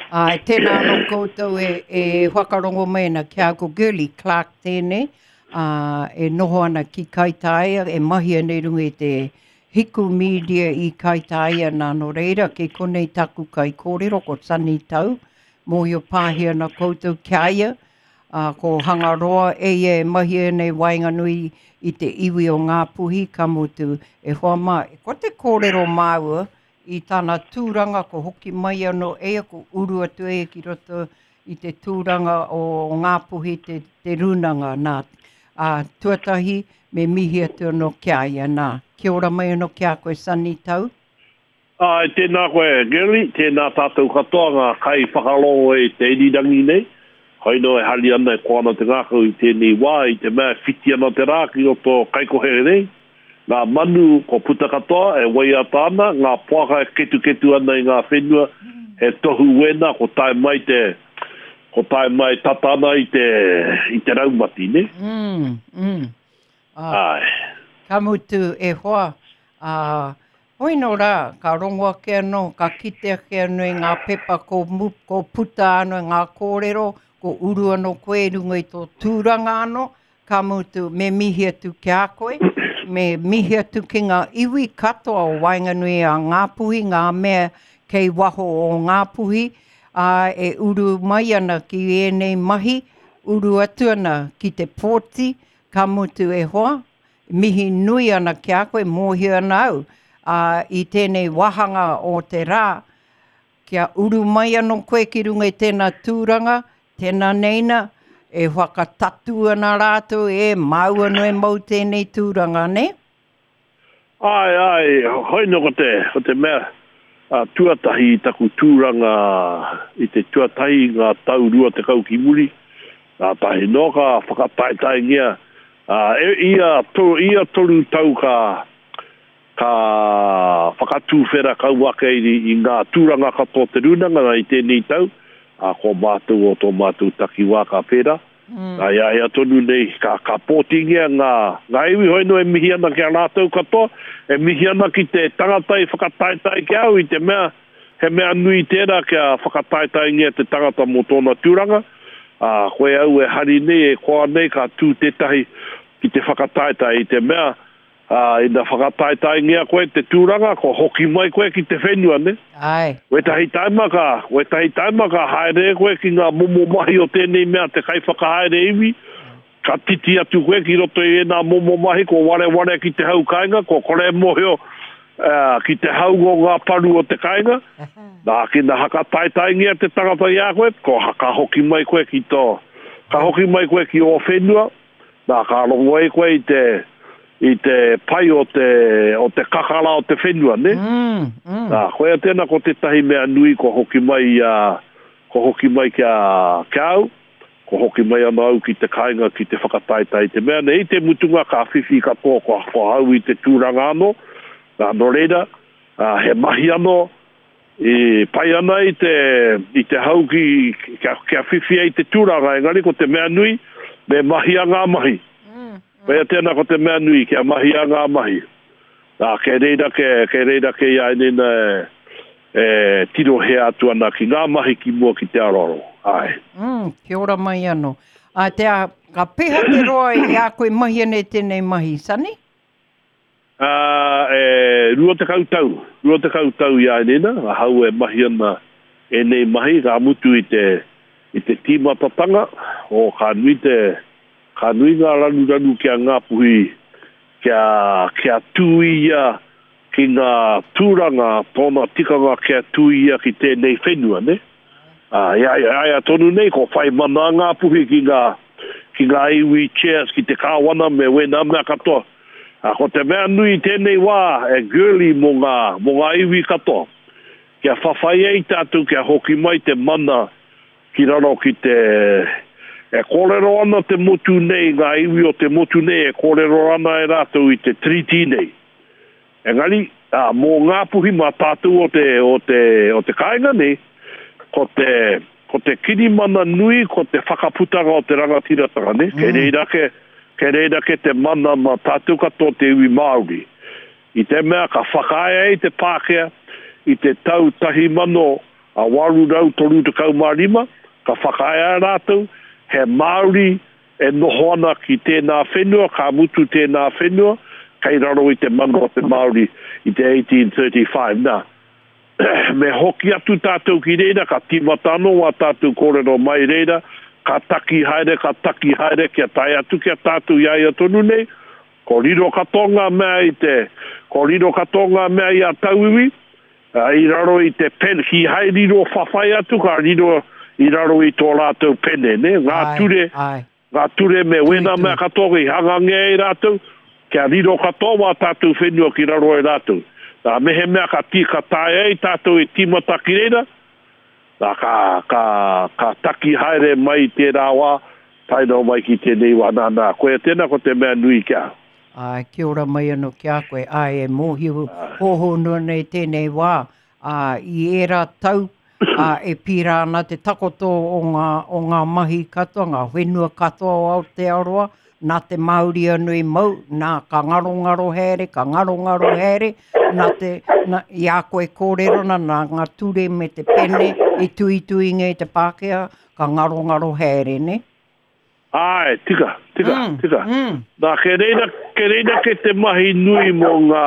Āe, tēnā anō koutou e, e whakarongo mai ana ki a ko Girlie Clark tēnei, ā, e noho ana ki Kaitāia, e mahi ana i runga i te Hiku Media i Kaitāia nā, nō reira, kei konei taku kaikōrero, ko Sonny Tau, mōhio pāhi ana koutou ki a ia, ā, ko Hangaroa e ia e mahi ana i waenganui i te iwi o Ngāpuhi, ka mutu, e hoa mā, ko te kōrero māua i tana tūranga, ko hoki mai anō e ia, ko uru atu e ia ki roto i te tūranga o Ngāpuhi te, te rūnanga, nā. Ā, tuatahi, me mihi atu anō ki a ia, nā. Kia ora mai anō ki a koe, Sonny Tau. Āe, tēnā koe Girlie, tēnā tātou katoa ngā kaiwhakarongo i te irirangi nei. Koinō e hari ana, e koa ana te ngākau i tēnei wā, i te mea e whiti ana te rā ki roto o Kaikohe nei. Ngā manu kua puta katoa, e waiata ana, ngā poaka e ketuketu ana i ngā whenua, he tohu wēnā ko tae mai te, ko tae mai tata ana i te, i te raumati, nē? Mm, mm. Āe. Ka mutu, e hoa, ā, hoi nō rā, ka rongo ake anō, ka kite ake anō i ngā pepa ko, ko puta anō i ngā kōrero, ko uru anō koe i runga i tō tūranga anō, ka mutu, me mihi atu ki a koe, me mihi atu ki ngā iwi katoa o waenganui a Ngāpuhi, ngā mea kei waho o Ngāpuhi, ā, e uru mai ana ki ēnei mahi, uru atu ana ki te pōti, Ka mutu e hoa, mihi nui ana ki a koe, mōhio ana au, ā, i tēnei wāhanga o te rā, kia uru mai anō koe ki runga i tēnā tūranga, tēnā neina, e whakatatū ana rātou, e, māu anō e mau tēnei tūranga, nē? Āe, āe, hoi nō ko te, ko te mea tuatahi i taku tūranga i te tuatahi i ngā tau 20 ki muri, kātahi noa ka whakataetaengia, ā, e, ia, to, ia toru tau ka, ka whakatūwhera kau ake i, i ngā tūranga katoa o te rūnanga nā i tēnei tau, ā, ko mātou o tō mātou takiwā ka pērā. Nā, i a ia tonu nei, ka, ka pōtingia ngā, ngā iwi hoi nō e mihi ana ki a rātou katoa, e mihi ana ki te tangata i whakataetae ki a au i te mea, he mea nui tērā kia whakataetaengia te tangata mō tōna tūranga, ā, koe au e hari nei, e koa nei ka tū tētahi ki te whakataetae i te mea, Ā, ina whakataetaengia koe te tūranga, kua hoki mai koe ki te whenua, nē? Āe. Wētahi taima ka, wētahi taima ka haere koe ki ngā momo mahi o tēnei mea te kaiwhakahaere iwi, ka titi atu koe ki roto i ēnā momo mahi, kua wareware ki te hau kāinga, kua kore e mōhio ki te hau o ngā paru o te kāinga. Nā, kina hakataetaengia te tangata i a koe, kua, ka hoki mai koe ki tō, ka hoki mai koe ki ō whenua, Nā, ka rongo ai koe i te, i te pai o te, o te kakara o te whenua, nē? Mm, mm. Nā, koia tēnā ko tētahi mea nui kua hoki mai i a, kua hoki mai ki a, ki a au, kua hoki mai anō au ki te kāinga ki te whakataetae i te mea nei, i te mutunga ka whiwhi katoa kua, kua hau i te tūranga anō, nā, nō reira, ā, he mahi anō, E pai ana i te, i te hau ki, kia, kia whiwhia i te tūranga, engari ko te mea nui, me mahia ngā mahi. Koia tēnā ko te mea nui, kia mahia ngā mahi. Nā, kei reira ke, kei reira ke i a Enina e, e tirohia atu ana ki ngā mahi ki mua ki te aroaro. Āe. Mm, kia ora mai anō. Ā, te a, ka peha te roa i a koe mahi ana i tēnei mahi, Sonny? Ā, e 20 tau, 20 tau i a Enina, ahau e mahi ana ēnei mahi, ka mutu i te, i te tīmatatanga, o ka nui te, ka nui ngā raruraru ki a Ngāpuhi, kia, kia tū ia ki ngā tūranga, tōna tikanga kia tū ia ki tēnei whenua, nē? Ā, i a, i a ia tonu nei, kua whai mana a Ngāpuhi ki ngā, ki ngā iwi chairs, ki te kāwana me wēnā mea katoa. Ā, ko te mea nui i tēnei wā e Girlie mō ngā, mō ngā iwi katoa, kia whawhai ai tātou kia hoki mai te mana ki raro ki te, e kōrero ana te motu nei, ngā iwi o te motu nei e kōrero ana e rātou i te Tiriti nei. Engari, ā, mō Ngāpuhi mā tātou o te, o te, o te kāinga nei, ko te, ko te kirimana nui ko te whakaputanga o te rangatiratanga, nē? Kei reira ake, kei reira ake te mana mā tātou katoa te iwi Māori. I te mea ka whakaae ai te Pākehā i te tau 1800. 835, ka whakaae rātou, he Māori e noho ana ki tēnā whenua, ka mutu tēnā whenua, kei raro i te mana o te Māori i te 1835. Nā, me hoki atu tātou ki reira, ka tīmata anō wā tātou kōrero mai reira, ka taki haere, ka taki haere, kia tae atu ki a tātou i a ia tonu nei, ko riro katoa ngā mea i te, ko riro katoa ngā mea i a tauiwi, i raro i te pene, kīhai riro whawhai atu, ka riro i raro i tō rātou pene, nē, ngā ture, ngā ture me wēnā mea katoa i hangangia e rātou, kia riro katoa wā tātou whenua ki raro e rātou. Nā, mehemea ka tī, ka taea e tātou e tīmata ki reira, nā, ka, ka, ka taki haere mai i tērā wā, tae noa mai ki tēnei wā. Nā, nā, koia tēnā ko te mea nui ki ahau. Āe, kia ora mai anō ki a koe. Āe, e mōhio hōhonu ana i tēnei wā, ā, i ērā tau, ā, e pīra ana te takoto o ngā, o ngā mahi katoa, ngā whenua katoa o Aotearoa, nā te Māori anō i mau, nā, ka ngarongaro haere, ka ngarongaro haere, nā te, nā, i a koe kōrero ana, nā ngā ture me te pene i tuituingia i te Pākehā, ka ngarongaro haere, nē? Āe, tika, tika, tika. Nā, kei reira, kei reira kei te mahi nui mō ngā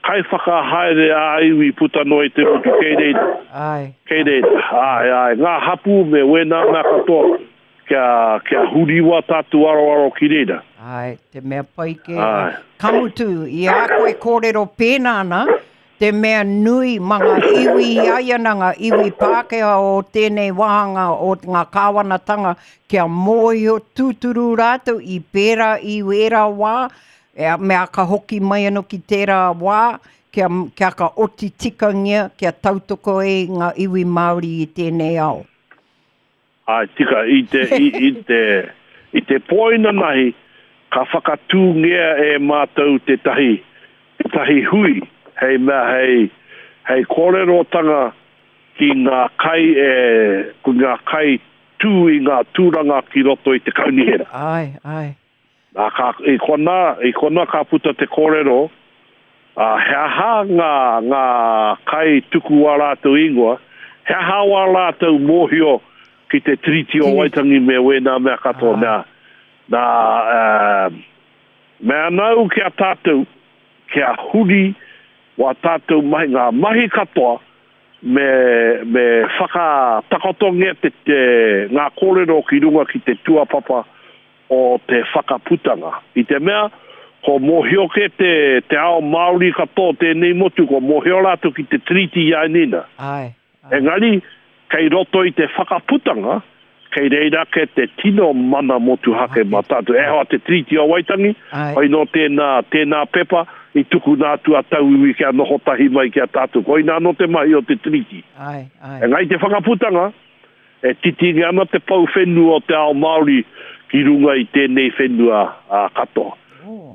kaiwhakahaere ā-iwi puta noa i te motu, kei reira. Āe. Kei reira, āe, āe, ngā hapū me wēnā mea katoa, kia, kia huriwa tātou aroaro ki reira. Āe, te mea pai kē. Āe. Ka mutu, i a koe kōrero pēnā ana, Te mea nui ma nga iwi i ai ana nga iwi Pākehā o tēnei wāhanga o nga kāwanatanga kia mōhio tūturu rātou i pērā i ērā wā, me aka hoki mai anō ki tērā wā kia, kia ka oti tikangia kia tautoko ai nga iwi Māori i tēnei ao. Āe, tika, i te, i, i te, i te pō inanahi, ka whakatūngia e mātou tētahi, tētahi hui hei mea hei, hei kōrerotanga ki ngā kai e, ki ngā kai tū i ngā tūranga ki roto i te kaunihera. Āe, āe. Nā, ka, i konā, i konā ka puta te kōrero, ā, he aha ngā, ngā kai tuku wā rātou ingoa, he aha wā rātou mōhio ki te Tiriti o Waitangi me wēnā mea katoa. Nā, nā, ā, mea ana au ki a tātou, kia huri wā tātou mahi, ngā mahi katoa, me, me whakatakotongia te, te, ngā kōrero ki runga ki te tuapapa o te whakaputanga. I te mea, ko mōhio kē te, te ao Māori katoa o tēnei motu, ko mōhio rātou ki te Tiriti i a Nina. Āe, āe. Engari, kei roto i te whakaputanga, kei reira ake te tino mana motuhake mā tātou. E hoa te Tiriti o Waitangi, hoi nō tēnā, tēnā pepa i tukuna atu a tauiwi kia noho tahi mai ki a tātou. Koinā anō te mahi o te Tiriti. Āe, āe. Engari te whakaputanga, E titingi ana te pou whenua o te ao Māori ki runga i tēnei whenua katoa.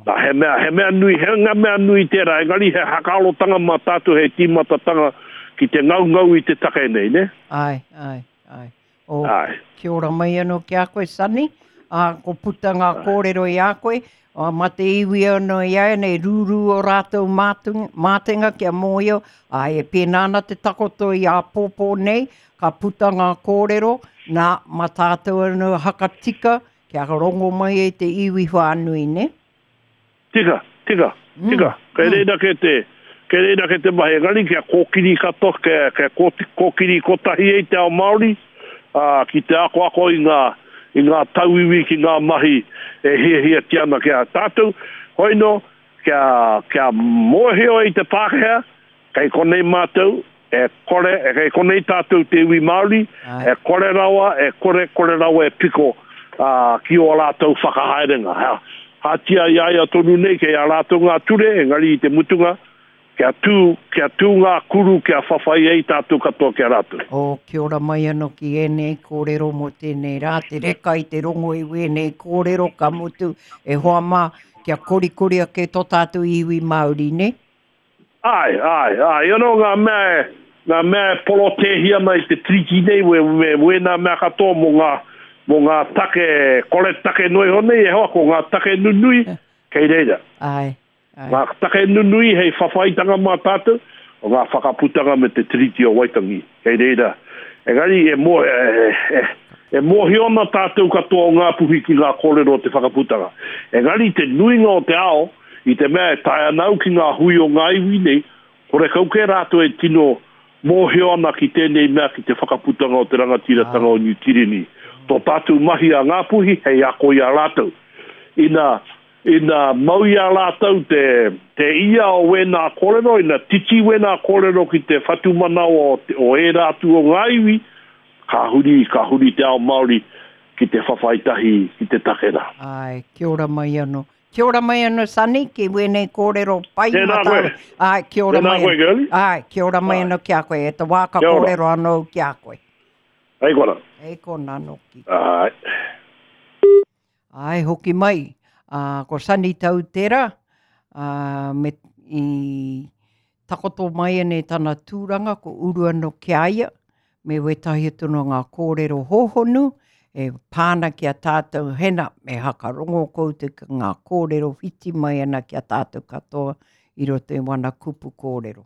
Nā, he mea, he mea nui, he nga mea nui tērā, engari he hakaarotanga mā tātou hei tīmatatanga ki te ngaungau i te take nei, nē? Āe, āe, āe. Oh, āe. Kia ora mai anō ki a koe, Sonny. Ā, ko puta ngā kōrero i a koe, ā, mā te iwi anō i a nei, rūrū o rātou mātenga kia mōhio, āe, e pēnā ana te takoto i āpōpō nei, Ka puta ngā kōrero, nā, mā tātou anō hakatika kia rongo mai ai te iwi whānui, nē? Tika, tika, tika. Kei reira kē te, kei reira kē te mahi, engari kia kōkiri katoa, kia, kia kōkiri kotahi ai te ao Māori, ā, ki te akoako i ngā, i ngā tauiwi ki ngā mahi e hiahiatia ana ki a tātou. Hoi nō, kia, kia mōhio ai te Pākehā, kei konei mātou, E kore, e kei konei tātou te iwi Māori, e kore rawa, e kore, kore rawa e piko ki ō rātou whakahaerenga. Kātia i a ia tonu nei, kei a rātou ngā ture, engari i te mutunga, kia tū, kia tū ngā kuru kia whawhai ai tātou katoa ki a rātou. Oh, kia ora mai anō ki ēnei kōrero mō tēnei rā, te reka i te rongo i wēnei kōrero, ka mutu, e hoa mā, kia korikori ake tō tātou iwi Māori, nē? Āe, āe, āe, anō ngā mea e, ngā mea e porotēhi ana i te Tiriti nei, me, me wēnā mea katoa mō ngā, mō ngā take, kore take noa iho nei, e hoa, ko ngā take nunui kei reira. Āe, āe. Ngā take nunui hei whawhaitanga mā tātou, o ngā whakaputanga me te Tiriti o Waitangi. Kei reira. Engari e mō, e, e, e mōhio ana tātou katoa o Ngāpuhi ki ngā kōrero o te whakaputanga. Engari te nuinga o te ao, i te mea e tae ana au ki ngā hui o ngā iwi nei, horekau kē rātou e tino mōhio ana ki tēnei mea ki te whakaputanga o te rangatiratanga o Niu Tireni. Tō tātou mahi a Ngāpuhi hei ako i a rātou. Ina, ina mau i a rātou te, te ia o wēnā kōrero, ina titi wēnā kōrero ki te whatumanawa o, o ērā atu o ngā iwi, ka huri, ka huri te ao Māori ki te whawhai tahi ki te take rā. Āe, kia ora mai anō. Kia ora mai anō, Sonny, ki wēnei kōrero pai Tēnā koe. Āe, kia ora Tēnā mai. koe, Girlie. Āe, kia ora mai anō ki a koe. E te wā ka Kia ora. kōrero anō au ki a koe. Hei kona. Hei kona nōki. Āe. Āe, hoki mai. Ā, ko Sonny Tau tērā, ā, me, i takoto mai anei tana tūranga, ko uru anō ki a ia, me wētahi atu no ngā kōrero hōhonu e pā ana ki a tātou, hena, me hakarongo koutou ki ngā kōrero whiti mai ana ki a tātou katoa i roto i wana kupu kōrero.